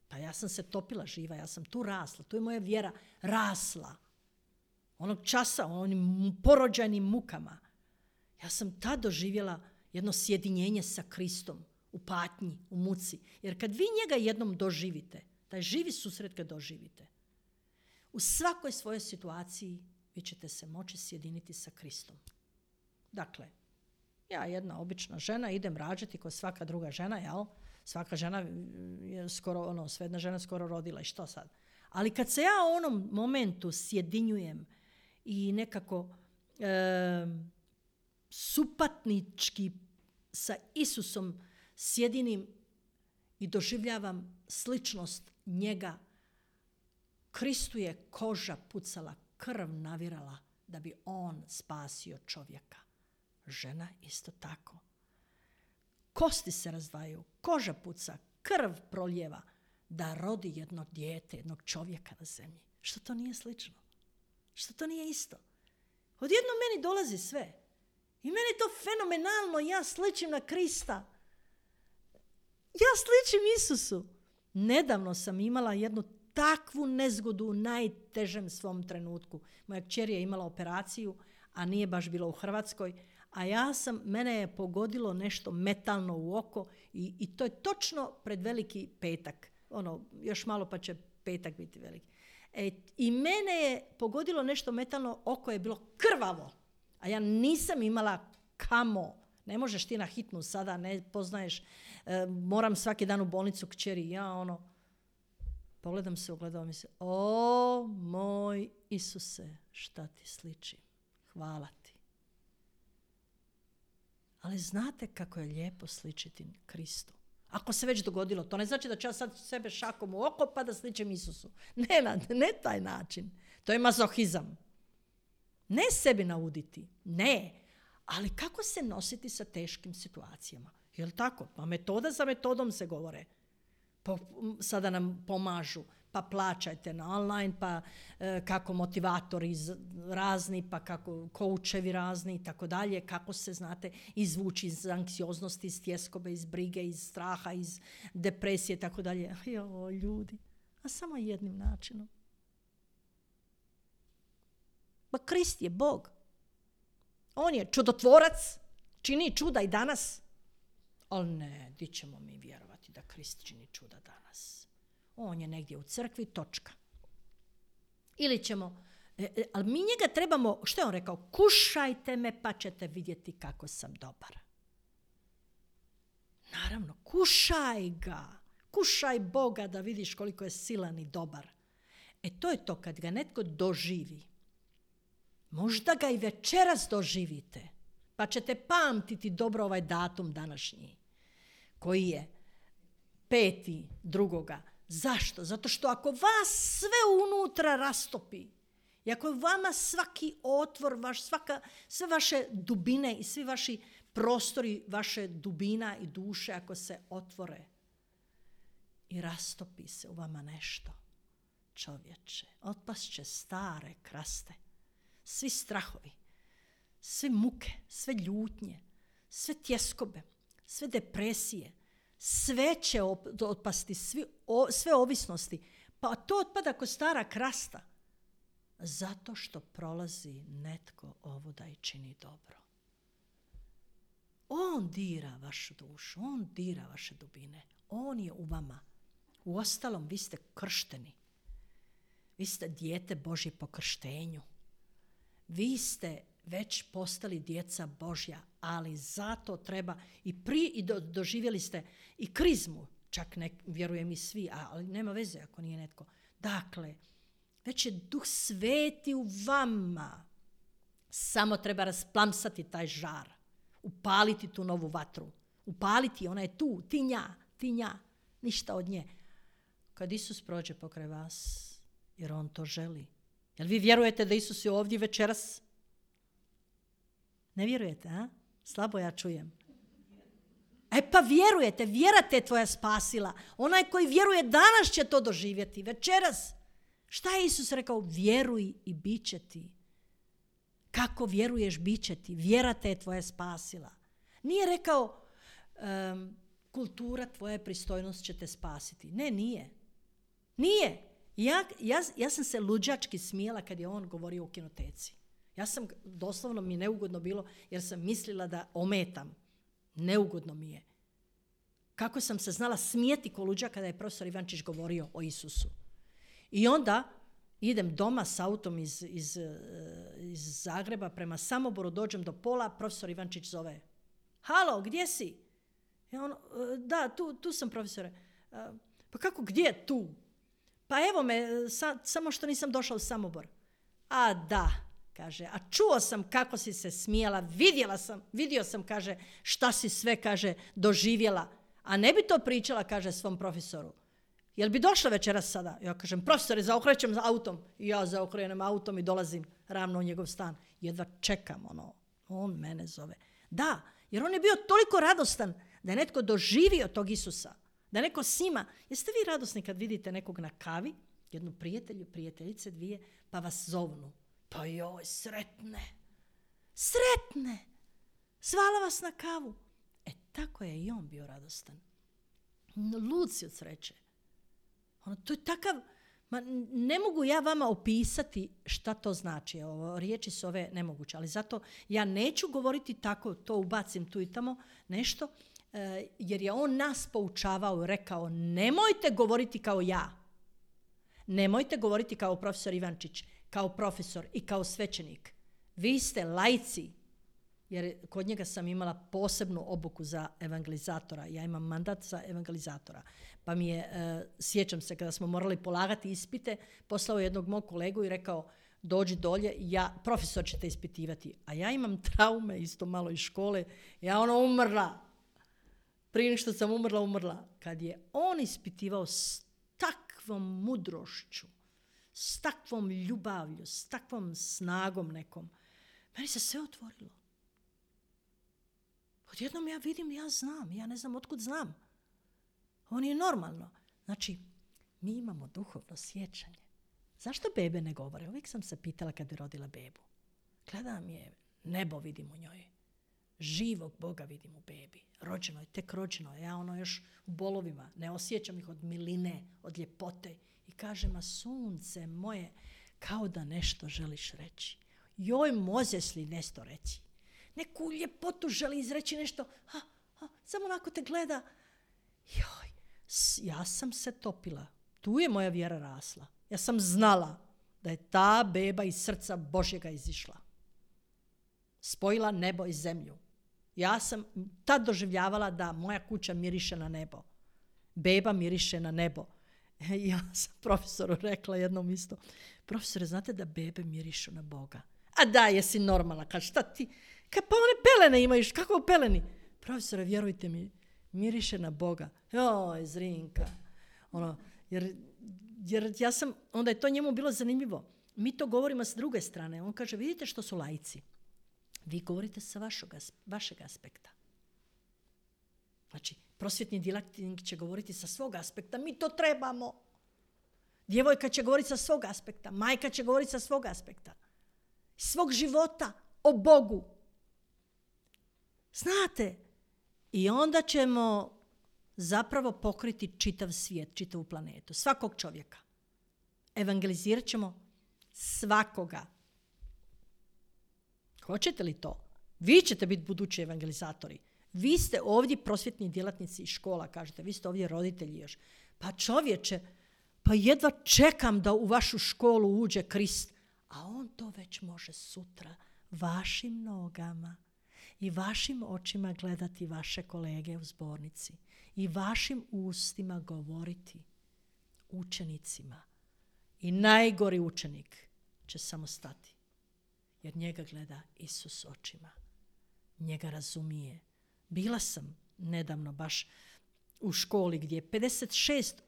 pa ja sam se topila živa, ja sam tu rasla, tu je moja vjera rasla. Onog časa, onim porođajnim mukama. Ja sam tad doživjela jedno sjedinjenje sa Kristom u patnji, u muci. Jer kad vi njega jednom doživite, taj živi susret kad doživite, u svakoj svojoj situaciji vi ćete se moći sjediniti sa Kristom. Dakle, ja jedna obična žena, idem rađati kao svaka druga žena, jel? Svaka žena je skoro, ono, svejedna žena skoro rodila i što sad? Ali kad se ja u onom momentu sjedinjujem i nekako e, supatnički sa Isusom sjedinim i doživljavam sličnost njega, Kristu je koža pucala, krv navirala da bi on spasio čovjeka. Žena isto tako. Kosti se razdvajaju, koža puca, krv proljeva da rodi jedno dijete, jednog čovjeka na zemlji. Što to nije slično? Što to nije isto? Odjedno meni dolazi sve. I meni je to fenomenalno. Ja sličim na Krista. Ja sličim Isusu. Nedavno sam imala jednu takvu nezgodu u najtežem svom trenutku. Moja kćer je imala operaciju, a nije baš bila u Hrvatskoj. A ja sam, mene je pogodilo nešto metalno u oko i, i to je točno pred veliki petak. Ono, još malo pa će petak biti veliki. E, I mene je pogodilo nešto metalno, oko je bilo krvavo. A ja nisam imala kamo. Ne možeš ti na hitnu sada, ne poznaješ. E, moram svaki dan u bolnicu kćeri. Ja ono, pogledam se, ogledam mi se. O moj Isuse, šta ti sličim. Hvala ti. Ali znate kako je lijepo sličiti Kristu. Ako se već dogodilo, to ne znači da ću ja sad sebe šakom u oko pa da sličim Isusu. Ne, ne taj način. To je mazohizam. Ne sebi nauditi, ne. Ali kako se nositi sa teškim situacijama? Jel' tako? Pa metoda za metodom se govore. Po, sada nam pomažu. Pa plaćajte na online, pa e, kako motivatori razni, pa kako koučevi razni i tako dalje, kako se, znate, izvući iz anksioznosti, iz tjeskobe, iz brige, iz straha, iz depresije i tako dalje. Jo, ljudi, a samo jednim načinom. Pa Krist je Bog. On je čudotvorac, čini čuda i danas. Ali ne, di ćemo mi vjerovati da Krist čini čuda danas? On je negdje u crkvi, točka. Ili ćemo, e, ali mi njega trebamo, što je on rekao? Kušajte me pa ćete vidjeti kako sam dobar. Naravno, kušaj ga. Kušaj Boga da vidiš koliko je silan i dobar. E to je to kad ga netko doživi. Možda ga i večeras doživite. Pa ćete pamtiti dobro ovaj datum današnji. Koji je peti drugoga. Zašto? Zato što ako vas sve unutra rastopi i ako vama svaki otvor, vaš, svaka, sve vaše dubine i svi vaši prostori, vaše dubina i duše, ako se otvore i rastopi se u vama nešto, čovječe, otpast će stare kraste, svi strahovi, sve muke, sve ljutnje, sve tjeskobe, sve depresije, sve će otpasti, svi, o, sve ovisnosti. Pa to otpada ko stara krasta. Zato što prolazi netko ovuda i čini dobro. On dira vašu dušu, on dira vaše dubine. On je u vama. Uostalom, vi ste kršteni. Vi ste dijete Božje po krštenju. Vi ste već postali djeca Božja, ali zato treba i pri i do, doživjeli ste i krizmu, čak ne vjerujem i svi, ali nema veze ako nije netko. Dakle, Već je Duh Sveti u vama. Samo treba rasplamsati taj žar. Upaliti tu novu vatru. Upaliti, ona je tu, ti nja, ti nja. Ništa od nje. Kad Isus prođe pokraj vas, jer on to želi. Jel vi vjerujete da Isus je ovdje večeras? Ne vjerujete, a? Slabo ja čujem. E pa vjerujete, vjera te tvoja spasila. Onaj koji vjeruje danas će to doživjeti, večeras. Šta je Isus rekao? Vjeruj i bit će ti. Kako vjeruješ, bit će ti. Vjera te je tvoja spasila. Nije rekao um, kultura tvoja pristojnost će te spasiti. Ne, nije. Nije. Ja, ja, ja sam se luđački smijela kad je on govorio o kinoteci. Ja sam, doslovno mi neugodno bilo jer sam mislila da ometam. Neugodno mi je. Kako sam se znala smijeti ko luđa kada je profesor Ivančić govorio o Isusu. I onda idem doma s autom iz, iz, iz Zagreba prema Samoboru, dođem do pola, profesor Ivančić zove. Halo, gdje si? Ja ono, da, tu, tu sam profesore. Pa kako, gdje tu? Pa evo me, sa, samo što nisam došla u Samobor. A da, kaže, a čuo sam kako si se smijala, vidjela sam, vidio sam, kaže, šta si sve, kaže, doživjela. A ne bi to pričala, kaže, svom profesoru. Jel bi došla večeras sada? Ja kažem, profesore, zaokrećem autom. I ja zaokrenem autom i dolazim ravno u njegov stan. Jedva čekam, ono, on mene zove. Da, jer on je bio toliko radostan da je netko doživio tog Isusa. Da neko s njima. Jeste vi radosni kad vidite nekog na kavi, jednu prijatelju, prijateljice dvije, pa vas zovnu. Pa joj, sretne. Sretne. Zvala vas na kavu. E, tako je i on bio radostan. Lud si od sreće. Ono, to je takav, ma, ne mogu ja vama opisati šta to znači. Ovo, riječi su ove nemoguće, ali zato ja neću govoriti tako, to ubacim tu i tamo nešto, e, jer je on nas poučavao i rekao, nemojte govoriti kao ja. Nemojte govoriti kao profesor Ivančić, kao profesor i kao svećenik. Vi ste laici, jer kod njega sam imala posebnu obuku za evangelizatora. Ja imam mandat za evangelizatora. Pa mi je, uh, sjećam se, kada smo morali polagati ispite, poslao jednog mog kolegu i rekao, dođi dolje, ja, profesor će te ispitivati. A ja imam traume, isto malo iz škole. Ja ono umrla. Prije nego što sam umrla, umrla. Kad je on ispitivao s takvom mudrošću, s takvom ljubavlju, s takvom snagom nekom, meni se sve otvorilo. Odjednom ja vidim, ja znam, ja ne znam otkud znam. On je normalno. Znači, mi imamo duhovno sjećanje. Zašto bebe ne govore? Uvijek sam se pitala kad bi rodila bebu. Gledam je, nebo vidim u njoj. Živog Boga vidim u bebi. Rođeno je, tek rođeno je. Ja ono još u bolovima. Ne osjećam ih od miline, od ljepote. I kaže, ma sunce moje, kao da nešto želiš reći. Joj, možeš li nešto reći? Neku ljepotu želi izreći nešto. Ha, ha, samo onako te gleda. Joj, ja sam se topila. Tu je moja vjera rasla. Ja sam znala da je ta beba iz srca Božjega izišla. Spojila nebo i zemlju. Ja sam tad doživljavala da moja kuća miriše na nebo. Beba miriše na nebo. Ja sam profesoru rekla jednom isto. Profesore, znate da bebe mirišu na Boga? A da, jesi normalna. Kad šta ti... Kad pa one pelene imaju, kako peleni? Profesore, vjerujte mi, miriše na Boga. Joj, Zrinka. Ono, jer, jer ja sam, onda je to njemu bilo zanimljivo. Mi to govorimo s druge strane. On kaže, vidite što su laici. Vi govorite sa vašeg, vašeg aspekta. Znači, prosvjetni djelatnik će govoriti sa svog aspekta. Mi to trebamo. Djevojka će govoriti sa svog aspekta. Majka će govoriti sa svog aspekta. Svog života o Bogu. Znate, i onda ćemo zapravo pokriti čitav svijet, čitavu planetu, svakog čovjeka. Evangelizirat ćemo svakoga. Hoćete li to? Vi ćete biti budući evangelizatori. Vi ste ovdje prosvjetni djelatnici iz škola, kažete, vi ste ovdje roditelji još. Pa čovječe, pa jedva čekam da u vašu školu uđe Krist. A on to već može sutra vašim nogama i vašim očima gledati vaše kolege u zbornici i vašim ustima govoriti učenicima I najgori učenik će samo stati. Jer njega gleda Isus očima. Njega razumije. Bila sam nedavno baš u školi gdje je pedeset šest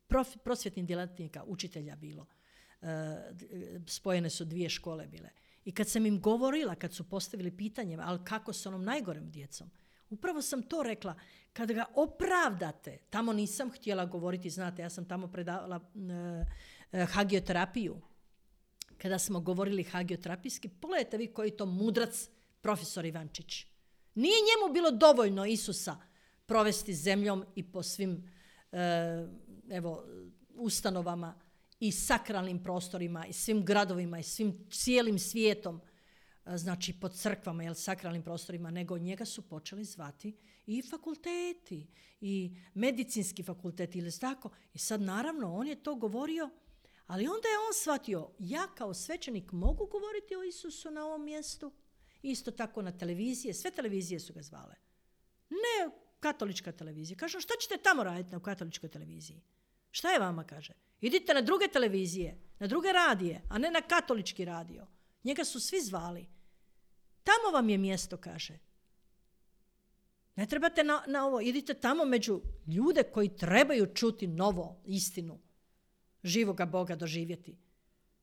prof, prosvjetnih djelatnika, učitelja bilo. E, spojene su dvije škole bile. I kad sam im govorila, kad su postavili pitanje, ali kako s onom najgorem djecom, upravo sam to rekla. Kad ga opravdate, tamo nisam htjela govoriti, znate, ja sam tamo predavala e, e, hagioterapiju. Kada smo govorili hagioterapijski, pogledajte vi koji to mudrac profesor Ivančić. Nije njemu bilo dovoljno Isusa provesti zemljom i po svim e, evo, ustanovama i sakralnim prostorima i svim gradovima i svim cijelim svijetom, e, znači po crkvama, jel, sakralnim prostorima, nego njega su počeli zvati i fakulteti i medicinski fakulteti ili tako. I sad naravno on je to govorio, ali onda je on shvatio, ja kao svećenik mogu govoriti o Isusu na ovom mjestu. Isto tako na televizije, sve televizije su ga zvale. Ne katolička televizija. Kažu, šta ćete tamo raditi na katoličkoj televiziji? Šta je vama, kaže? Idite na druge televizije, na druge radije, a ne na katolički radio. Njega su svi zvali. Tamo vam je mjesto, kaže. Ne trebate na, na ovo, idite tamo među ljude koji trebaju čuti novo, istinu, živoga Boga doživjeti.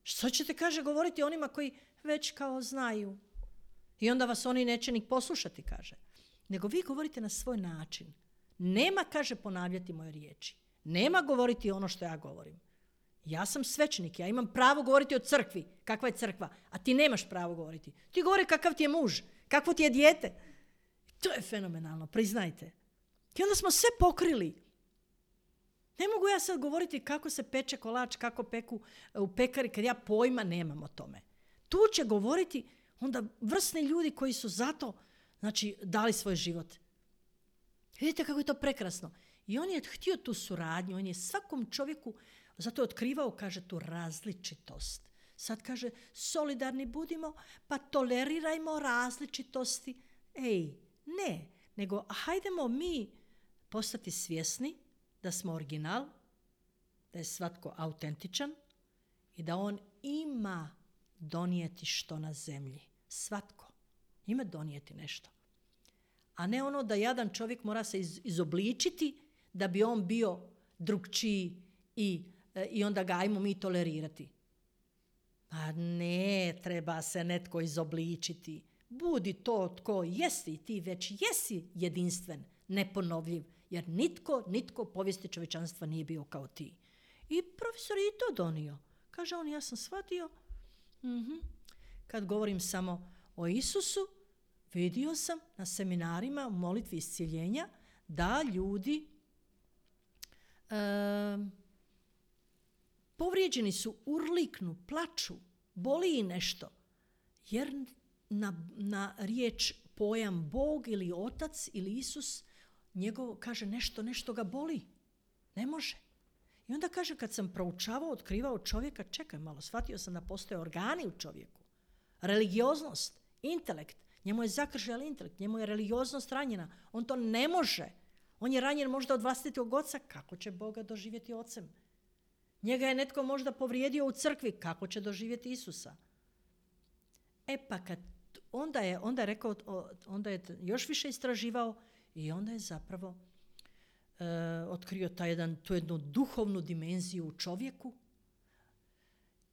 Što ćete, kaže, govoriti onima koji već kao znaju? I onda vas oni neće ni poslušati, kaže. Nego vi govorite na svoj način. Nema, kaže, ponavljati moje riječi. Nema govoriti ono što ja govorim. Ja sam svećenik, ja imam pravo govoriti o crkvi. Kakva je crkva? A ti nemaš pravo govoriti. Ti govori kakav ti je muž, kakvo ti je dijete. To je fenomenalno, priznajte. I onda smo sve pokrili. Ne mogu ja sad govoriti kako se peče kolač, kako peku u pekari, kad ja pojma nemam o tome. Tu će govoriti onda vrsni ljudi koji su zato, znači, dali svoj život. Vidite kako je to prekrasno. I on je htio tu suradnju, on je svakom čovjeku zato je otkrivao, kaže, tu različitost. Sad kaže, solidarni budimo, pa tolerirajmo različitosti. Ej, ne, nego hajdemo mi postati svjesni da smo original, da je svatko autentičan i da on ima donijeti što na zemlji. Svatko ima donijeti nešto. A ne ono da jadan čovjek mora se iz, izobličiti da bi on bio drugčiji i, i onda ga ajmo mi tolerirati. A ne, treba se netko izobličiti. Budi to tko jesi, ti već jesi jedinstven, neponovljiv, jer nitko, nitko u povijesti čovječanstva nije bio kao ti. I profesor je i to donio. Kaže on, ja sam shvatio, mm-hmm. kad govorim samo o Isusu, vidio sam na seminarima u molitvi iscjeljenja da ljudi e, povrijeđeni su, urliknu, plaču, boli i nešto. Jer na, na riječ pojam Bog ili Otac ili Isus, njegov kaže nešto, nešto ga boli. Ne može. I onda kaže, kad sam proučavao, otkrivao čovjeka, čekaj malo, shvatio sam da postoje organi u čovjeku. Religioznost, intelekt. Njemu je zakržljal intelekt, njemu je religioznost ranjena. On to ne može. On je ranjen možda od vlastitog oca. Kako će Boga doživjeti ocem? Njega je netko možda povrijedio u crkvi. Kako će doživjeti Isusa? E pa kad onda je, onda je rekao, onda je još više istraživao i onda je zapravo e, otkrio taj jedan, tu jednu duhovnu dimenziju u čovjeku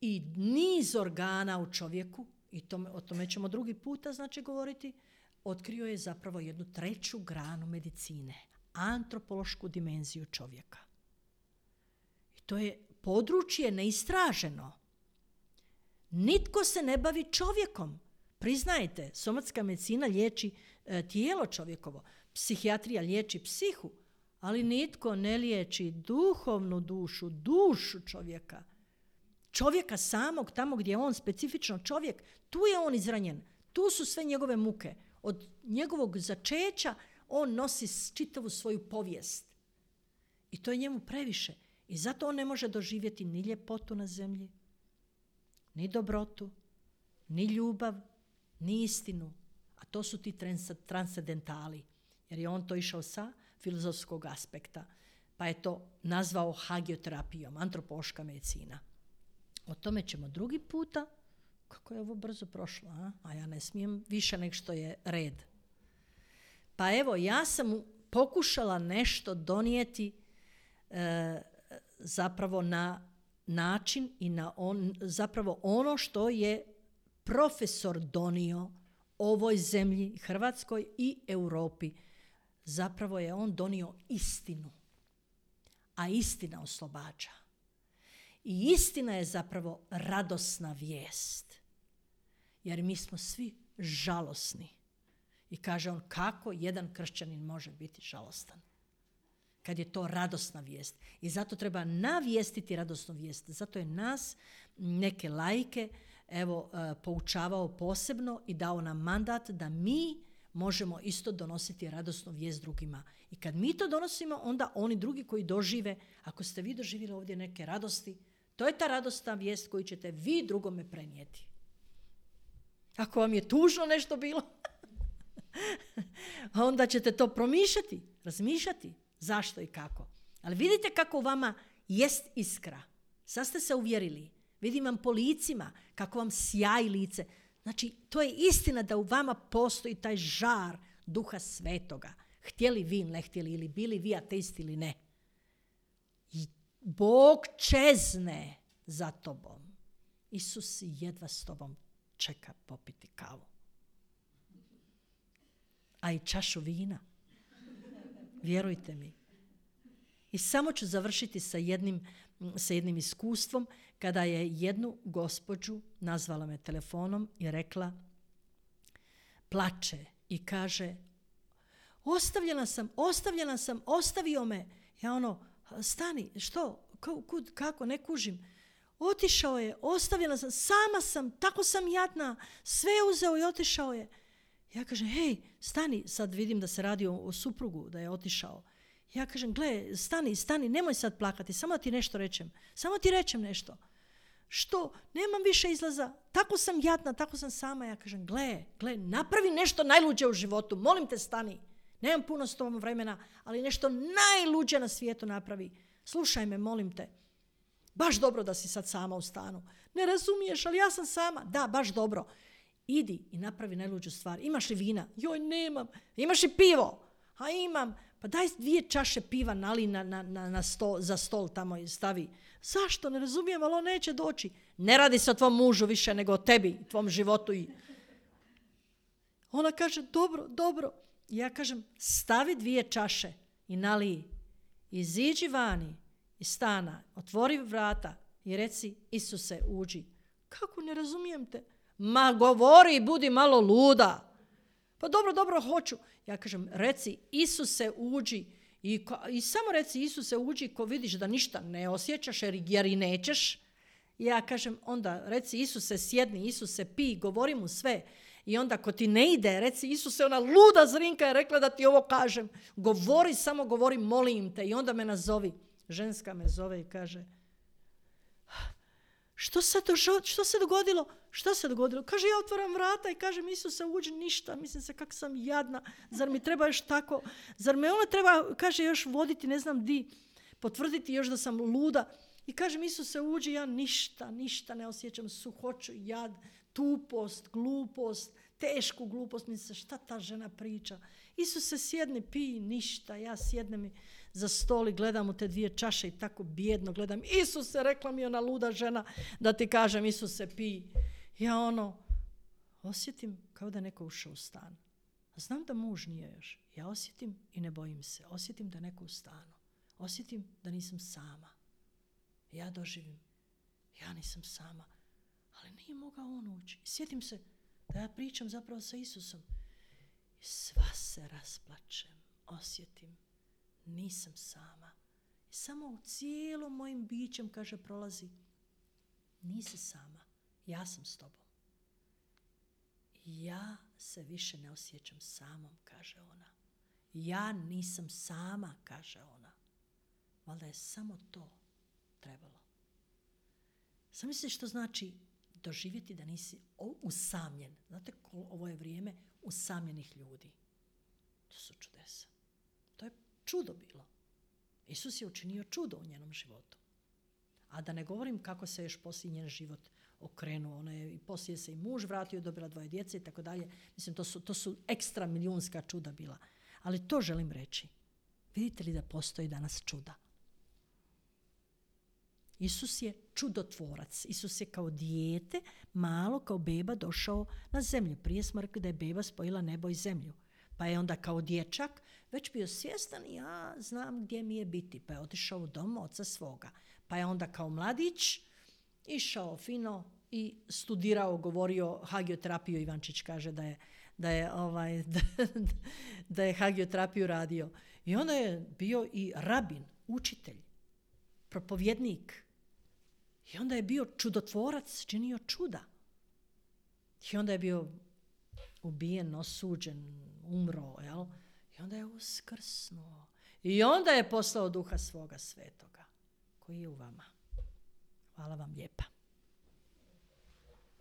i niz organa u čovjeku, i tome, o tome ćemo drugi puta znači govoriti, otkrio je zapravo jednu treću granu medicine, antropološku dimenziju čovjeka. I to je područje neistraženo. Nitko se ne bavi čovjekom. Priznajte, somatska medicina liječi e, tijelo čovjekovo, psihijatrija liječi psihu, ali nitko ne liječi duhovnu dušu, dušu čovjeka. Čovjeka samog, tamo gdje je on specifično čovjek, tu je on izranjen. Tu su sve njegove muke. Od njegovog začeća on nosi čitavu svoju povijest. I to je njemu previše. I zato on ne može doživjeti ni ljepotu na zemlji, ni dobrotu, ni ljubav, ni istinu. A to su ti trans- transcendentali. Jer je on to išao sa filozofskog aspekta. Pa je to nazvao hagioterapijom, antropološka medicina. O tome ćemo drugi puta. Kako je ovo brzo prošlo, a? A ja ne smijem više nego što je red. Pa evo, ja sam pokušala nešto donijeti e, zapravo na način i na on, zapravo ono što je profesor donio ovoj zemlji, Hrvatskoj i Europi. Zapravo je on donio istinu. A istina oslobađa. I istina je zapravo radosna vijest. Jer mi smo svi žalosni. I kaže on, kako jedan kršćanin može biti žalostan? Kad je to radosna vijest. I zato treba navijestiti radosnu vijest. Zato je nas, neke laike, evo, poučavao posebno i dao nam mandat da mi možemo isto donositi radosnu vijest drugima. I kad mi to donosimo, onda oni drugi koji dožive, ako ste vi doživjeli ovdje neke radosti, to je ta radosna vijest koju ćete vi drugome prenijeti. Ako vam je tužno nešto bilo, onda ćete to promišljati, razmišljati zašto i kako. Ali vidite kako u vama jest iskra. Sad ste se uvjerili. Vidim vam po licima kako vam sjaji lice. Znači, to je istina da u vama postoji taj žar Duha Svetoga. Htjeli vi, ne htjeli, ili bili vi ateisti ili ne. I Bog čezne za tobom. Isus jedva s tobom čeka popiti kavu. A i čašu vina. Vjerujte mi. I samo ću završiti sa jednim, sa jednim iskustvom kada je jednu gospođu nazvala me telefonom i rekla, plače i kaže, ostavljena sam, ostavljena sam, ostavio me. Ja ono, stani, što, kud, kako, ne kužim. Otišao je, ostavljena sam, sama sam, tako sam jadna, sve je uzeo i otišao je. Ja kažem, hej, stani, sad vidim da se radi o, o suprugu, da je otišao. Ja kažem, gle, stani, stani, nemoj sad plakati, samo ti nešto rečem, samo ti rečem nešto. Što? Nemam više izlaza, tako sam jadna, tako sam sama. Ja kažem, gle, gle, napravi nešto najluđe u životu, molim te stani. Nemam puno s tobom vremena, ali nešto najluđe na svijetu napravi. Slušaj me, molim te. Baš dobro da si sad sama u stanu. Ne razumiješ, ali ja sam sama. Da, baš dobro. Idi i napravi najluđu stvar. Imaš li vina? Joj, nemam. Imaš li pivo? A imam. Pa daj dvije čaše piva nali na, na, na, na sto, za stol tamo i stavi. Zašto? Ne razumijem, ali on neće doći. Ne radi se o tvom mužu više nego o tebi, tvom životu. I ona kaže, dobro, dobro. I ja kažem, stavi dvije čaše i naliji. Iziđi vani iz stana, otvori vrata i reci, Isuse, uđi. Kako, ne razumijem te? Ma govori, budi malo luda. Pa dobro, dobro, hoću. Ja kažem, reci, Isuse, uđi. I, ko, i samo reci, Isuse, uđi, ko vidiš da ništa ne osjećaš jer, jer i nećeš. Ja kažem, onda reci, Isuse, sjedni, Isuse, pi, govori mu sve. I onda ko ti ne ide, reci, Isuse, ona luda Zrinka je rekla da ti ovo kažem. Govori, samo govori, molim te. I onda me nazovi. Ženska me zove i kaže, što se, dožo, što se dogodilo? Što se dogodilo? Kaže, ja otvaram vrata i kažem, Isuse, uđi, ništa. Mislim se, kako sam jadna. Zar mi treba još tako? Zar me ona treba, kaže, još voditi, ne znam di, potvrditi još da sam luda. I kažem, Isuse, uđi, ja ništa, ništa ne osjećam, suhoću, jad, tupost, glupost, tešku glupost. Mislim se, šta ta žena priča? Isuse, sjedni, pij, ništa. Ja sjednem za stol i gledam u te dvije čaše i tako bijedno gledam. Isuse, rekla mi ona luda žena da ti kažem, Isuse, pij. Ja ono, osjetim kao da je neko ušao u stan. Znam da muž nije još. Ja osjetim i ne bojim se. Osjetim da je neko u stanu. Osjetim da nisam sama. Ja doživim. Ja nisam sama. Ali nije mogao on ući. I sjetim se da ja pričam zapravo sa Isusom. I sva se rasplačem. Osjetim. Nisam sama. I samo u cijelom mojim bićem, kaže, prolazi. Nisi sama. Ja sam s tobom. Ja se više ne osjećam samom, kaže ona. Ja nisam sama, kaže ona. Valjda je samo to trebalo. Sam misliš što znači doživjeti da nisi usamljen. Znate, ovo je vrijeme usamljenih ljudi. To su čudesa. To je čudo bilo. Isus je učinio čudo u njenom životu. A da ne govorim kako se još poslije njen život okrenuo. Ona je, i poslije se i muž vratio, dobila dvoje djece i tako dalje. Mislim, to su, to su ekstra milijunska čuda bila. Ali to želim reći. Vidite li da postoji danas čuda? Isus je čudotvorac. Isus je kao dijete, malo kao beba došao na zemlju. Prije smo rekli da je beba spojila nebo i zemlju. Pa je onda kao dječak već bio svjestan, ja znam gdje mi je biti. Pa je otišao u dom oca svoga. Pa je onda kao mladić išao fino i studirao, govorio hagioterapiju. Ivančić kaže da je, da je, ovaj, da, da je hagioterapiju radio. I onda je bio i rabin, učitelj, propovjednik. I onda je bio čudotvorac, činio čuda. I onda je bio ubijen, osuđen, umro, jel? I onda je uskrsnuo. I onda je poslao Duha svoga svetoga, koji je u vama. Hvala vam lijepa.